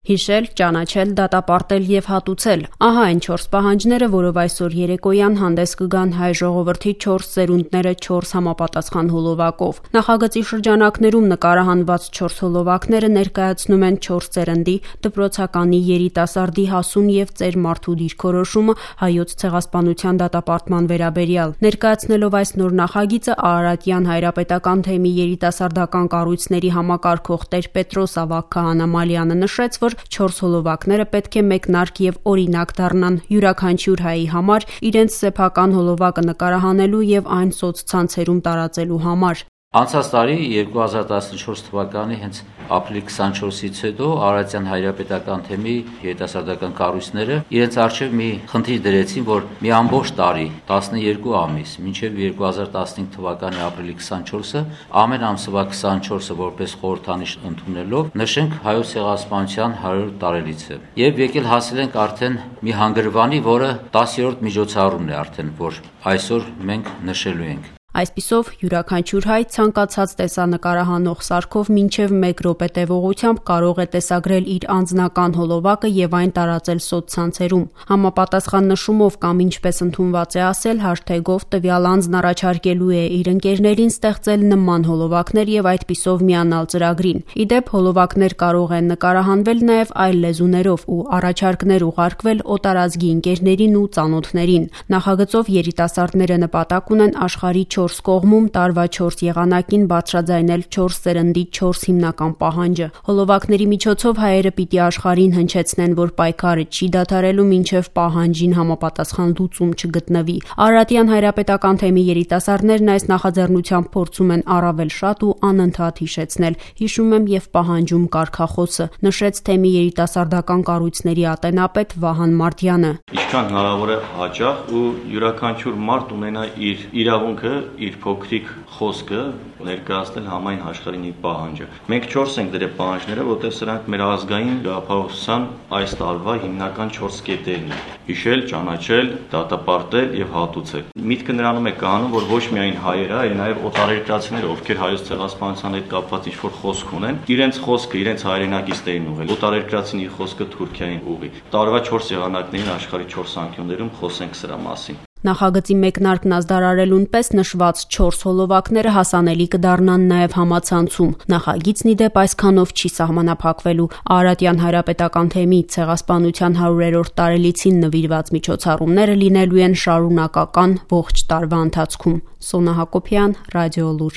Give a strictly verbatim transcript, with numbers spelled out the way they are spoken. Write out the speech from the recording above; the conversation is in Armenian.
Հիշել, ճանաչել, դատապարտել եւ հատուցել։ Ահա այն չորս պահանջները, որով այսօր երեկոյան հանդես կգան հայ ժողովրդի չորս սերունդները չորս համապատասխան հոլովակով։ Նախագծի շրջանակներում նկարահանված չորս հոլովակները ներկայացնում են չորս սերնդի, դպրոցականի, երիտասարդի, հասուն եւ ծեր մարդու դիրքորոշումը հայոց ցեղասպանության դատապարտման վերաբերյալ։ Ներկայացնելով այս նոր նախագիծը Արարատյան հայրապետական թեմի երիտասարդական կառույցների համակարգող տեր-Պետրոս Ավագ Քահանամալյանը նշեց, որ չորս հոլովակները պետք է մեկնարկ եւ օրինակ դառնան յուրաքանչյուր հայի համար իրենց սեփական հոլովակը նկարահանելու եւ այն սոցցանցերում տարածելու համար։ Անցած տարի երկու հազար տասնչորս թվականի հենց ապրիլի քսանչորսից հետո Արարատյան հայրապետական թեմի երիտասարդական կառույցները իրենց առջև մի խնդիր դրեցին, որ մի ամբողջ տարի, տասներկու ամիս, մինչև երկու հազար տասնհինգ թվականի ապրիլի քսանչորսը, ամեն ամսվա քսանչորսը որպես խորհրդանիշ ընդունելով նշենք հայոց ցեղասպանության հարյուր տարելիցը։ Եվ եկել հասել ենք արդեն մի հանգրվանի, որը տասերորդ միջոցառումն է արդեն, որ այսօր մենք նշելու ենք։ Այսպիսով յուրաքանչյուր հայ ցանկացած տեսանկարահանող սարքով մինչև մեկ րոպե տևողությամբ կարող է տեսագրել իր անձնական հոլովակը եւ այն տարածել սոցցանցերում։ Համապատասխան նշումով կամ ինչպես ընդունված է ասել, հաշթեգով տվյալ անձն առաջարկելու է իր ընկերներին ստեղծել նման հոլովակներ եւ այդպիսով միանալ ծրագրին։ Իդեպ հոլովակներ կարող են նկարահանվել նաեւ այլ լեզուներով ու առաջարկներ ուղարկվել օտարազգի ընկերներին ու ծանոթներին։ Նախագծով երիտասարդները նպատակ ունեն աշխարհի չորս կողմում տարվա չորս եղանակին բարձրաձայնել չորս սերնդի չորս հիմնական պահանջը։ Հոլովակների միջոցով հայերը պիտի աշխարհին հնչեցնեն, որ պայքարը չի դադարելու մինչև պահանջին համապատասխան լուծում չգտնվի։ Արարատյան հայրապետական թեմի երիտասարդներն այս նախաձեռնությամբ փորձում են առավել շատ ու անընդհատ հիշեցնել, հիշում եմ եւ պահանջում կարգախոսը, նշեց թեմի երիտասարդական կառույցների ատենապետ Վահան Մարդյանը։ Ինչքան հնարավոր է հաճախ ու յուրաքանչյուր մարդ ունենա իր իրավունքը իր փոքրիկ խոսքը ներկայացնել համայն աշխարհին իր պահանջը։ Մենք չորս ենք դրել պահանջները, որտեղ սրանք մեր ազգային գաղափարության այս տարվա հիմնական չորս կետերն են՝ հիշել, ճանաչել, դատապարտել եւ հատուցել։ Միտքը նրանում է կանում, որ ոչ միայն հայերը, այլ նաեւ օտարերկրացիները, ովքեր հայոց ցեղասպանության հետ կապված ինչ-որ խոսք ունեն, իրենց խոսքը, իրենց հայրենակիցներին ուղղել։ Օտարերկրացին իր խոսքը Թուրքիային ուղղի։ Տարվա չորս եղանակներին աշխարհի չորս անկյուններում խոսենք սրա մասին։ Նախագծի մեկնարկն ազդարարելուն պես նշված չորս հոլովակները հասանելի կդառնան նաև համացանցում։ Նախագիծն ի դեպ այսքանով չի սահմանափակվելու։ Արարատյան հայրապետական թեմի ցեղասպանության հարյուրերորդ տարելիցին նվիրված միջոցառումները լինելու են շարունակական ողջ տարվա ընթացքում։ Սոնա Հակոբյան, Ռադիոլուր։